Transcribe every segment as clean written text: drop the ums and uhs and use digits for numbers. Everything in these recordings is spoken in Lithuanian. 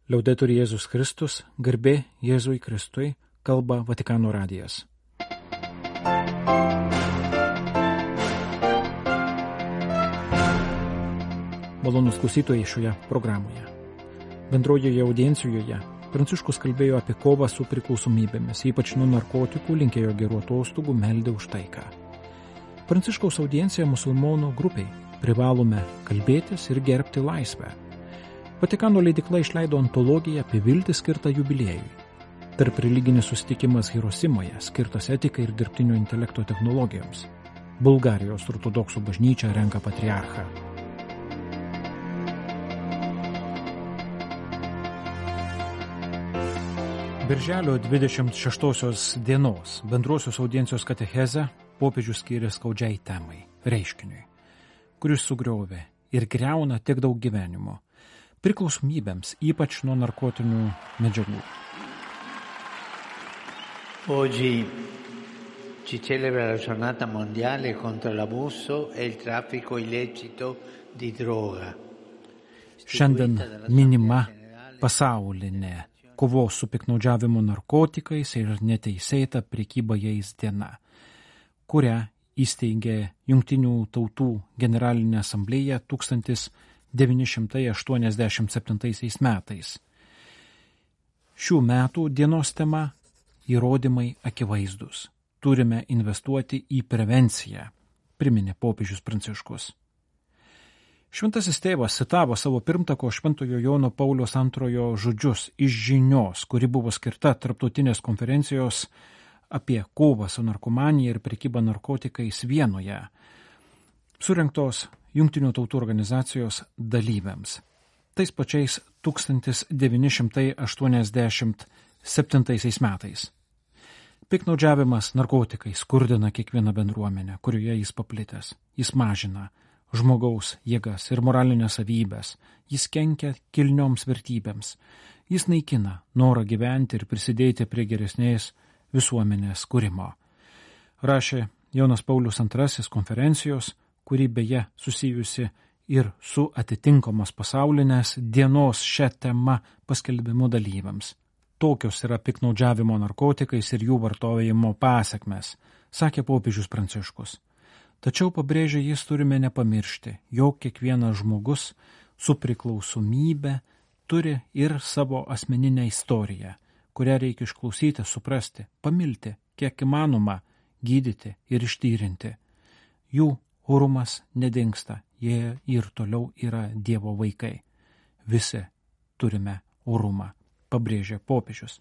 Liaudetur Jėzus Kristus, garbė Jėzui Kristui, kalba Vatikano radijas. Malonūs klausytojai šioje programoje. Bendrojoje audiencijoje Pranciškus kalbėjo apie kovą su priklausomybėmis, ypač nuo narkotikų, linkėjo gerų atostogų, meldė už taiką. Pranciškaus audiencija musulmonų grupiai. Privalome kalbėtis ir gerbti laisvę. Vatikano leidykla išleido antologiją apie viltį skirtą jubiliejui. Tarp religinis susitikimas Hirosimoje, skirtas etikai ir dirbtinio intelekto technologijoms. Bulgarijos ortodoksų bažnyčia renka patriarchą. Birželio 26 dienos bendrosios audiencijos katechezę popiežius skyrė skaudžiai temai, reiškiniui, kuris sugriovė ir griauna tiek daug gyvenimo, priklausomybėms, ypač nuo narkotinių medžiagų. Oggi si celebra la giornata mondiale contro l'abuso e il traffico illecito di droga. Šiandien minima pasaulinė kovos su piktnaudžiavimu narkotikais ir neteisėta prekyba jais diena, kurią įsteigė Jungtinių tautų generalinė asamblėja 1987 metais. Šių metų dienos tema – įrodymai akivaizdus. Turime investuoti į prevenciją, priminė popiežius Pranciškus. Šventasis tėvas citavo savo pirmtako Šventojo Jono Pauliaus II žodžius iš žinios, kuri buvo skirta tarptautinės konferencijos apie kovą su narkomanija ir prekybą narkotikais Vienoje, surengtos Jungtinių tautų organizacijos dalyviams. Tais pačiais 1987 metais. Piktnaudžiavimas narkotikais skurdina kiekvieną bendruomenę, kurioje jis paplitęs. Jis mažina žmogaus jėgas ir moralinės savybės. Jis kenkia kilnioms vertybėms. Jis naikina norą gyventi ir prisidėti prie geresnės visuomenės kūrimo. Rašė Jonas Paulius II konferencijos, kuri beje susijusi ir su atitinkamos pasaulinės dienos šią temą paskelbimo dalyviams. Tokios yra piktnaudžiavimo narkotikais ir jų vartojimo pasekmes, sakė popiežius Pranciškus. Tačiau pabrėžė jis turime nepamiršti, jog kiekvienas žmogus su priklausomybe turi ir savo asmeninę istoriją, kurią reikia išklausyti, suprasti, pamilti, kiek įmanoma, gydyti ir ištyrinti. Jų orumas nedingsta, jie ir toliau yra Dievo vaikai. Visi turime orumą, pabrėžė popiežius.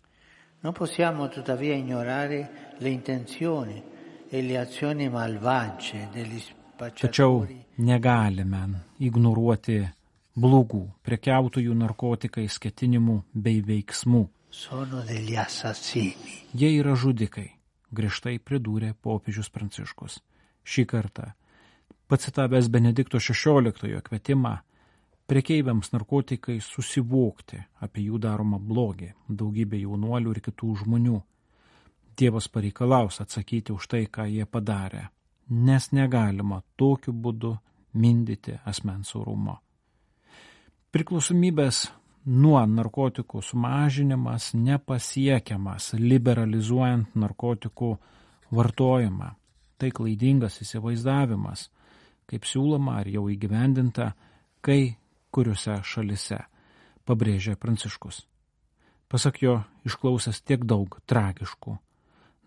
Non possiamo tuttavia ignorare le intenzioni e le azioni malvagie degli Tačiau spacciatori. negalime ignoruoti blogų prekiautojų narkotikais ketinimų bei veiksmų. Sono degli assassini. Jie yra žudikai, griežtai pridūrė popiežius Pranciškus. Šį kartą, pacitavęs Benedikto XVI kvietimą prekeiviams narkotikai susivokti apie jų daromą blogį, daugybė jaunuolių ir kitų žmonių. Dievas pareikalaus atsakyti už tai, ką jie padarė, nes negalima tokiu būdu mindyti asmens orumo. Priklausomybės nuo narkotikų sumažinimas nepasiekiamas liberalizuojant narkotikų vartojimą. Tai klaidingas įsivaizdavimas, kaip siūloma ar jau įgyvendinta, kai kuriuose šalise, pabrėžė Pranciškus. Pasak jo, išklausęs tiek daug tragiškų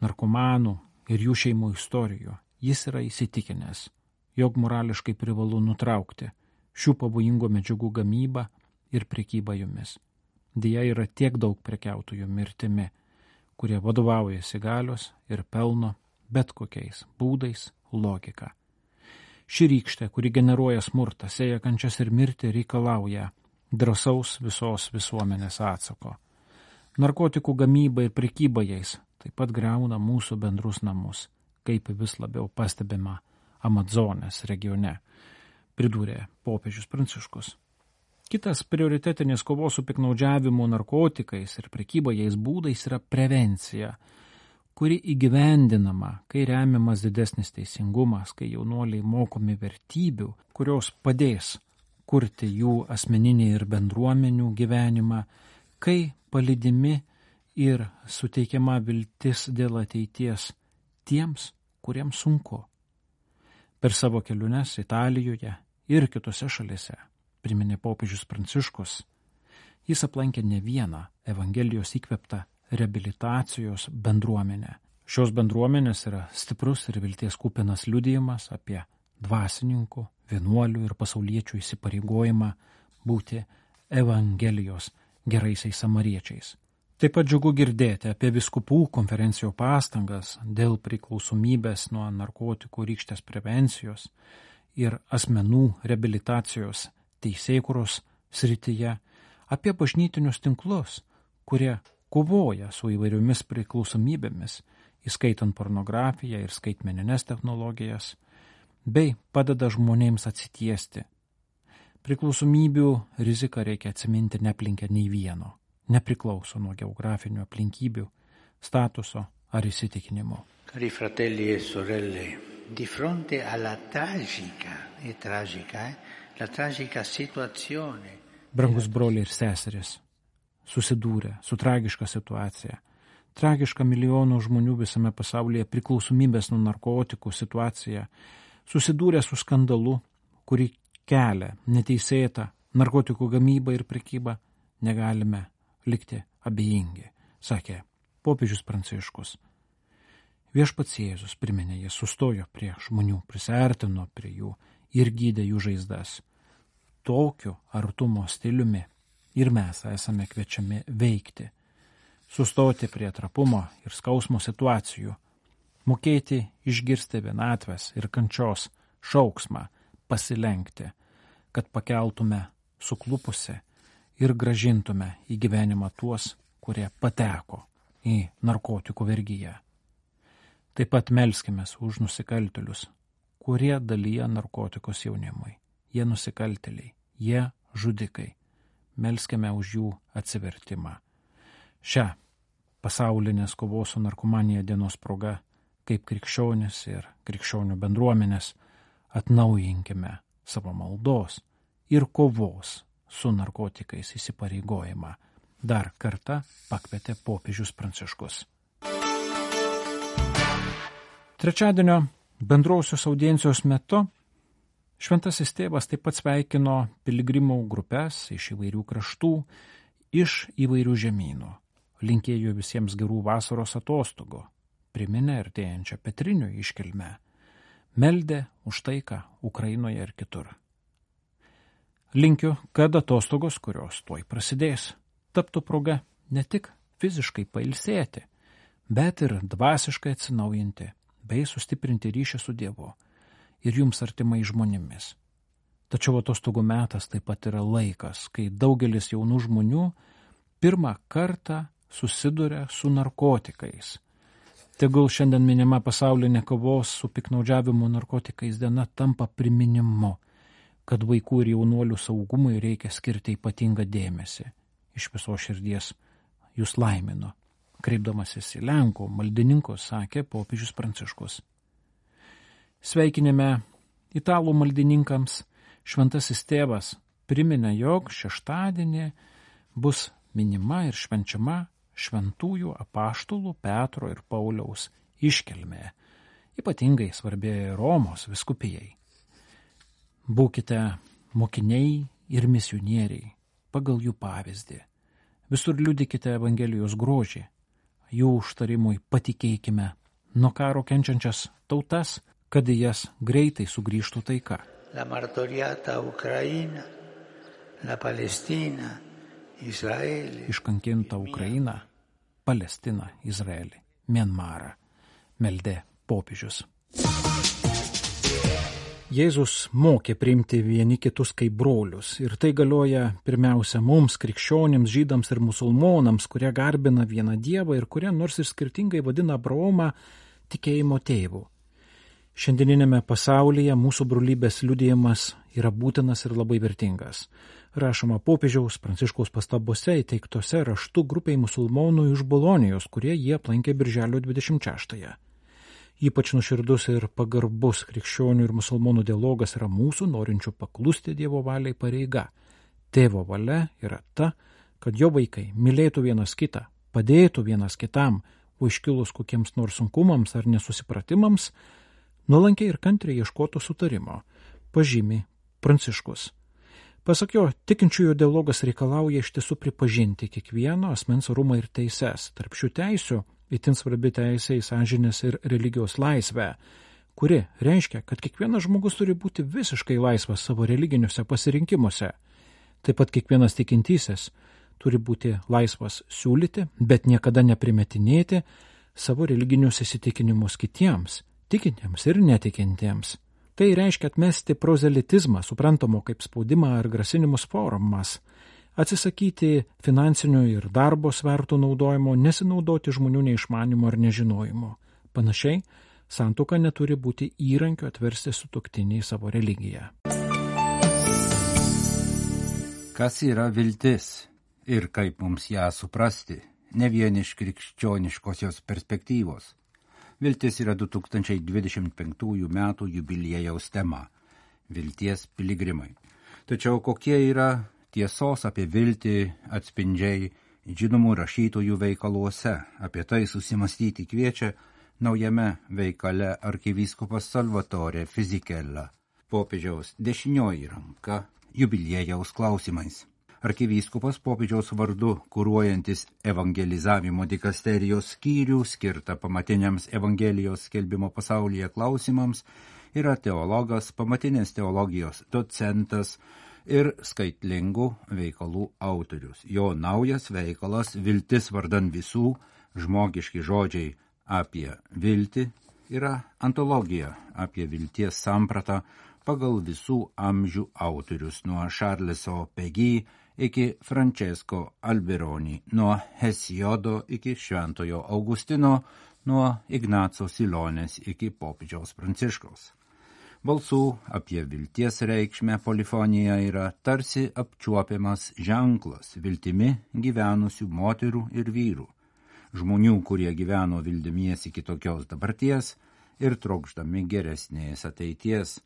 narkomanų ir jų šeimų istorijų, jis yra įsitikinęs, jog morališkai privalu nutraukti šių pavojingų medžiagų gamybą ir prekybą jomis. Deja yra tiek daug prekiautojų mirtimi, kurie vadovaujasi galios ir pelno bet kokiais būdais logika. Ši rykštė, kuri generuoja smurtą, sėja kančias ir mirtį, reikalauja drąsaus visos visuomenės atsako. Narkotikų gamyba ir prekyba jais taip pat griauna mūsų bendrus namus, kaip vis labiau pastebima Amazonės regione, pridūrė popiežius Pranciškus. Kitas prioritetinis kovos su piktnaudžiavimu narkotikais ir prekyba jais būdais yra prevencija, kuri įgyvendinama, kai remiamas didesnis teisingumas, kai jaunuoliai mokomi vertybių, kurios padės kurti jų asmeninį ir bendruomenių gyvenimą, kai palydimi ir suteikiama viltis dėl ateities tiems, kuriems sunku. Per savo keliones Italijoje ir kitose šalise, priminė popiežius Pranciškus, jis aplankė ne vieną Evangelijos įkvėptą reabilitacijos bendruomenę. Šios bendruomenės yra stiprus ir vilties kupinas liudijimas apie dvasininkų, vienuolių ir pasauliečių įsipareigojimą būti Evangelijos geraisiais samariečiais. Taip pat džiugu girdėti apie vyskupų konferencijų pastangas dėl priklausomybės nuo narkotikų rykštės prevencijos ir asmenų reabilitacijos teisėkūros srityje, apie bažnytinius tinklus, kurie kovoja su įvairiomis priklausomybėmis, įskaitant pornografiją ir skaitmenines technologijas, bei padeda žmonėms atsitiesti. Priklausomybių riziką reikia atsiminti neplinkę nei vieno, nepriklauso nuo geografinių aplinkybių, statuso ar įsitikinimo. Cari fratelli e sorelle, di fronte alla tragica situazione. Brangus broliai ir seserys, susidūrę su tragiška situacija, tragiška milijonų žmonių visame pasaulyje priklausomybės nuo narkotikų situacija, susidūrę su skandalu, kurį kelia neteisėta narkotikų gamyba ir prekyba, negalime likti abejingi, sakė popiežius Pranciškus. Viešpats Jėzus, priminė, jis sustojo prie žmonių, prisiartino prie jų ir gydė jų žaizdas. Tokiu artumo stiliumi ir mes esame kviečiami veikti, sustoti prie trapumo ir skausmo situacijų, mokėti išgirsti vienatvės ir kančios šauksmą, pasilenkti, kad pakeltume suklupusi ir gražintume į gyvenimą tuos, kurie pateko į narkotikų vergiją. Taip pat melskimės už nusikaltėlius, kurie dalyja narkotikus jaunimui. Jie nusikaltėliai, jie žudikai. Melskime už jų atsivertimą. Šią pasaulinės kovos su narkomanija dienos proga, kaip krikščionis ir krikščionių bendruomenės, atnaujinkime savo maldos ir kovos su narkotikais įsipareigojimą. Dar kartą pakvietė popiežius Pranciškus. Trečiadienio bendrausios audiencijos metu Šventasis tėvas taip pat sveikino piligrimų grupes iš įvairių kraštų, iš įvairių žemynų. Linkėjo visiems gerų vasaros atostogų, priminė artėjančią Petrinių iškilmę, meldė už taiką Ukrainoje ir kitur. Linkiu, kad atostogos, kurios tuoj prasidės, taptų proga ne tik fiziškai pailsėti, bet ir dvasiškai atsinaujinti bei sustiprinti ryšį su Dievu ir jums artimai žmonėmis. Tačiau atostogų metas taip pat yra laikas, kai daugelis jaunų žmonių pirmą kartą susiduria su narkotikais. Tegul šiandien minima pasaulinė kovos su piktnaudžiavimu narkotikais diena tampa priminimu, kad vaikų ir jaunuolių saugumui reikia skirti ypatingą dėmesį. Iš viso širdies jūs laiminu. Kreipdamasis į Lenkų maldininkus, sakė popiežius Pranciškus. Sveikinime italų maldininkams Šventasis tėvas priminė, jog šeštadienį bus minima ir švenčiama šventųjų apaštalų Petro ir Pauliaus iškilmė, ypatingai svarbėjo Romos vyskupijai. Būkite mokiniai ir misionieriai pagal jų pavyzdį. Visur liudykite Evangelijos grožį, jų užtarimui patikėkime nuo karo kenčiančias tautas, kad į jas greitai sugrįžtų taika. La martoriata Ukraina, la Palestina, Izraelį. Iškankinta Ukraina, Palestina, Izraelį, Mianmarą, meldė popiežius. Jėzus mokė priimti vieni kitus kaip brolius ir tai galioja pirmiausia mums, krikščionims, žydams ir musulmonams, kurie garbina vieną Dievą ir kurie nors ir skirtingai vadina Abraomą tikėjimo tėvu. Šiandieninėme pasaulyje mūsų brolybės liudijimas yra būtinas ir labai vertingas. Rašoma popiežiaus Pranciškaus pastabose įteiktose raštu grupiai musulmonų iš Bolonijos, kurie jie aplankė birželio 26-ąją. Ypač nuoširdus ir pagarbus krikščionių ir musulmonų dialogas yra mūsų norinčių paklusti Dievo valiai pareiga. Tėvo valia yra ta, kad jo vaikai mylėtų vienas kitą, padėtų vienas kitam, o iškilus kokiems nors sunkumams ar nesusipratimams, nuolankiai ir kantriai ieškotų sutarimo, pažymi Pranciškus. Pasak jo, tikinčiųjų dialogas reikalauja iš tiesų pripažinti kiekvieno asmens orumą ir teises. Tarp šių teisių itin svarbi teisė į sąžinės ir religijos laisvę, kuri reiškia, kad kiekvienas žmogus turi būti visiškai laisvas savo religiniuose pasirinkimuose. Taip pat kiekvienas tikintysis turi būti laisvas siūlyti, bet niekada neprimetinėti savo religinius įsitikinimus kitiems, tikintiems ir netikintiems. Tai reiškia atmesti prozelitizmą, suprantamo kaip spaudimą ar grasinimus formas, atsisakyti finansinių ir darbo svertų naudojimo, nesinaudoti žmonių neišmanimo ar nežinojimo. Panašiai, santuoka neturi būti įrankiu atversti sutuoktinį į savo religiją. Kas yra viltis ir kaip mums ją suprasti, ne vien iš krikščioniškosios perspektyvos? Viltis yra 2025 metų jubiliejaus tema – vilties piligrimai. Tačiau kokie yra tiesos apie viltį atspindžiai žinomų rašytojų veikaluose? Apie tai susimastyti kviečia naujame veikale arkivyskupas Salvatore Fisichella, popiežiaus dešinioji ranka jubiliejaus klausimais. Arkivyskupas popiežiaus vardu kuruojantis evangelizavimo dikasterijos skyrių skirtą pamatiniams Evangelijos skelbimo pasaulyje klausimams yra teologas, pamatinės teologijos docentas ir skaitlingų veikalų autorius. Jo naujas veikalas Viltis vardan visų, žmogiški žodžiai apie viltį yra antologija apie vilties sampratą pagal visų amžių autorius nuo Charleso Péguy iki Francesco Alberoni, nuo Hesiodo iki Šventojo Augustino, nuo Ignaco Silonės iki popiežiaus Pranciškaus. Balsų apie vilties reikšmę polifonija yra tarsi apčiuopiamas ženklas viltimi gyvenusių moterų ir vyrų, žmonių, kurie gyveno vildamiesi kitokios dabarties ir trokšdami geresnės ateities.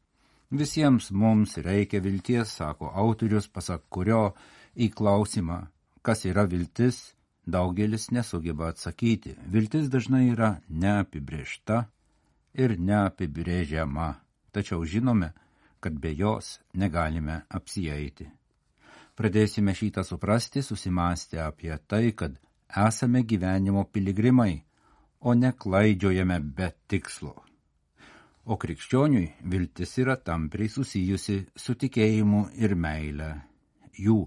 Visiems mums reikia vilties, sako autorius, pasak kurio į klausimą, kas yra viltis, daugelis nesugeba atsakyti. Viltis dažnai yra neapibrėžta ir neapibrėžiama, tačiau žinome, kad be jos negalime apsieiti. Pradėsime šitą suprasti, susimąstę apie tai, kad esame gyvenimo piligrimai, o ne klaidžiojame be tikslo. O krikščioniui viltis yra tampriai susijusi su tikėjimu ir meile. Jų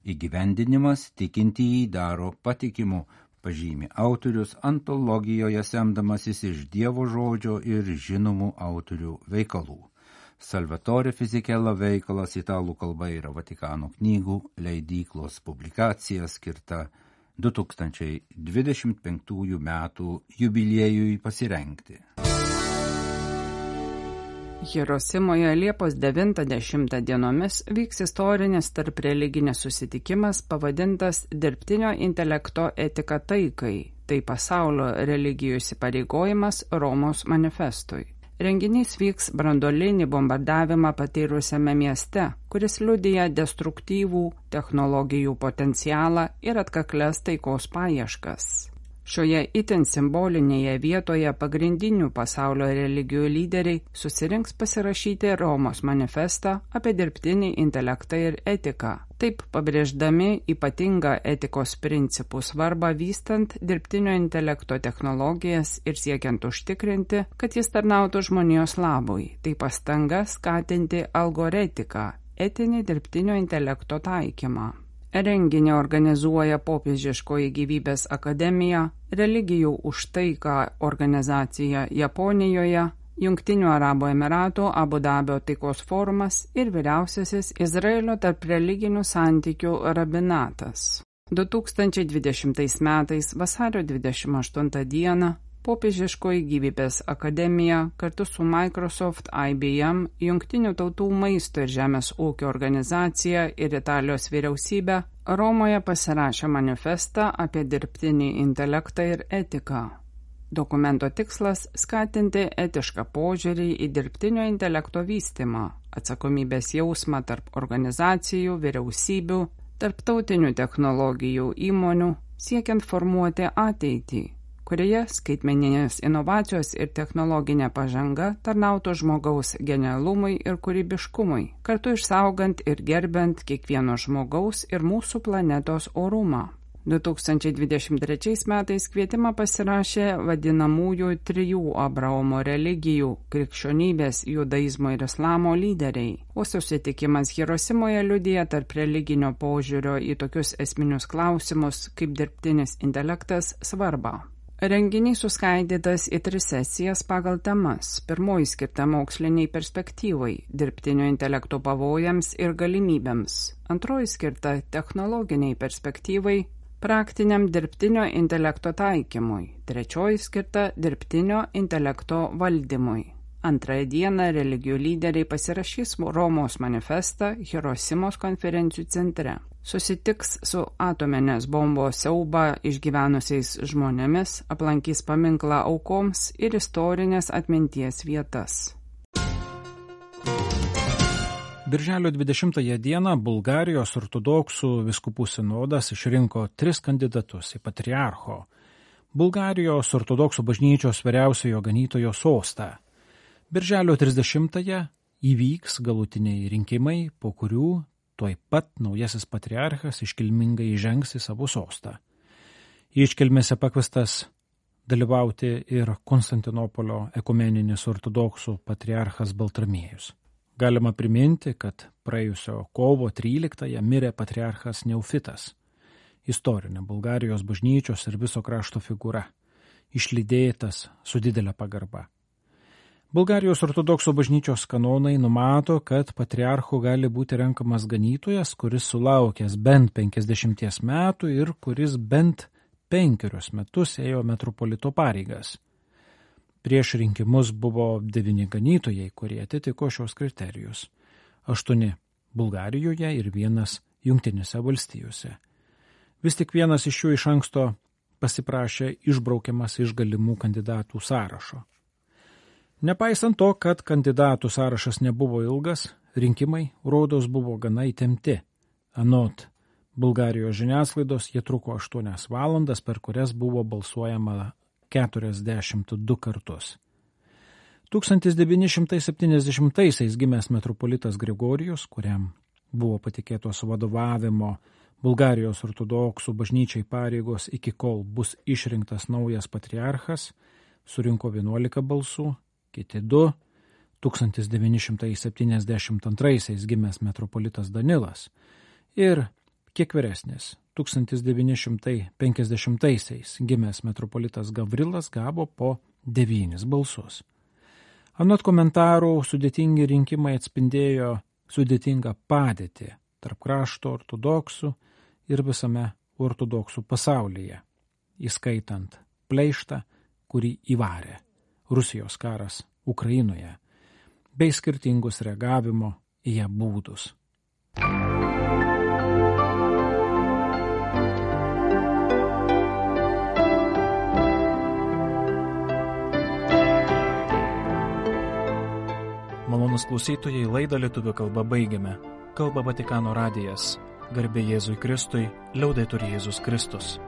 įgyvendinimas tikintįjį daro patikimu, pažymi autorius antologijoje semdamasis iš Dievo žodžio ir žinomų autorių veikalų. Salvatore Fisichella veikalas italų kalba yra Vatikano knygų leidyklos publikacija skirta 2025 metų jubiliejui pasirengti. Hirosimoje Liepos 90 dienomis vyks istorinis tarp religinis susitikimas pavadintas Dirbtinio intelekto etika taikai, tai pasaulio religijų įsipareigojimas Romos manifestui. Renginys vyks branduolinį bombardavimą patyrusiame mieste, kuris liudija destruktyvų technologijų potencialą ir atkaklias taikos paieškas. Šioje itin simbolinėje vietoje pagrindinių pasaulio religijų lyderiai susirinks pasirašyti Romos manifestą apie dirbtinį intelektą ir etiką, taip pabrėždami ypatingą etikos principų svarbą vystant dirbtinio intelekto technologijas ir siekiant užtikrinti, kad jis tarnautų žmonijos labui, tai pastanga skatinti algoretiką, etinį dirbtinio intelekto taikymą. Renginį organizuoja Popiežiškoji gyvybės akademija, Religijų už taiką organizacija Japonijoje, Jungtinių Arabų Emiratų Abu Dabio taikos forumas ir vyriausiasis Izraelio tarp religinių santykių rabinatas. 2020 metais vasario 28 dieną Popiežiškoji gyvybės akademija kartu su Microsoft, IBM, Jungtinių tautų maisto ir žemės ūkio organizacija ir Italijos vyriausybė Romoje pasirašė manifestą apie dirbtinį intelektą ir etiką. Dokumento tikslas – skatinti etišką požiūrį į dirbtinio intelekto vystymą, atsakomybės jausmą tarp organizacijų, vyriausybių, tarptautinių technologijų įmonių siekiant formuoti ateitį, kurioje skaitmeninės inovacijos ir technologinė pažanga tarnautų žmogaus genialumui ir kūrybiškumui, kartu išsaugant ir gerbent kiekvieno žmogaus ir mūsų planetos orumą. 2023 metais kvietimą pasirašė vadinamųjų 3 Abraomo religijų – krikščionybės, judaizmo ir islamo lyderiai, o susitikimas Hirosimoje liudija tarp religinio požiūrio į tokius esminius klausimus kaip dirbtinis intelektas svarbą. Renginys suskaidytas į 3 sesijas pagal temas. Pirmoji skirta moksliniai perspektyvai, dirbtinio intelekto pavojams ir galimybėms. Antroji skirta technologiniai perspektyvai, praktiniam dirbtinio intelekto taikymui. Trečioji skirta dirbtinio intelekto valdymui. Antrąją dieną religijų lyderiai pasirašys Romos manifestą Hirosimos konferencijų centre. Susitiks su atominės bombos siaubą išgyvenusiais žmonėmis, aplankys paminklą aukoms ir istorinės atminties vietas. Birželio 20 dieną Bulgarijos ortodoksų vyskupų sinodas išrinko 3 kandidatus į patriarcho Bulgarijos ortodoksų bažnyčios vyriausiojo ganytojo sostą. Birželio 30 įvyks galutiniai rinkimai, po kurių tuoj pat naujasis patriarchas iškilmingai įžengs į savo sostą. Į iškilmėse pakviestas dalyvauti ir Konstantinopolio ekumeninis ortodoksų patriarchas Baltramiejus. Galima priminti, kad praėjusio kovo 13-ąją mirė patriarchas Neufitas, istorinė Bulgarijos bažnyčios ir viso krašto figūra, išlydėtas su didelė pagarba. Bulgarijos ortodoksų bažnyčios kanonai numato, kad patriarchu gali būti renkamas ganytojas, kuris sulaukęs bent 50 metų ir kuris bent 5 metus ėjo metropolito pareigas. Prieš rinkimus buvo 9 ganytojai, kurie atitiko šios kriterijus. 8 Bulgarijoje ir 1 Jungtinėse valstijose. Vis tik vienas iš jų iš anksto pasiprašė išbraukiamas iš galimų kandidatų sąrašo. Nepaisant to, kad kandidatų sąrašas nebuvo ilgas, rinkimai, rodos, buvo gana įtempti. Anot Bulgarijos žiniasklaidos jie truko 8 valandas, per kurias buvo balsuojama 42 kartus. 1970-aisiais gimęs metropolitas Grigorijus, kuriam buvo patikėtos vadovavimo Bulgarijos ortodoksų bažnyčiai pareigos iki kol bus išrinktas naujas patriarchas, surinko 11 balsų, kiti 2. 1972-aisiais gimęs metropolitas Danilas ir kiek vyresnis, 1950-aisiais gimęs metropolitas Gavrilas gavo po 9 balsus. Anot komentarų, sudėtingi rinkimai atspindėjo sudėtingą padėtį tarp krašto ortodoksų ir visame ortodoksų pasaulyje, įskaitant pleištą, kurį įvarė Rusijos karas Ukrainoje, bei skirtingus reagavimo į ją būdus. Malonūs klausytojai, laidą lietuvių kalba baigiame. Kalba Vatikano radijas. Garbė Jėzui Kristui, liaudetur Jėzus Kristus.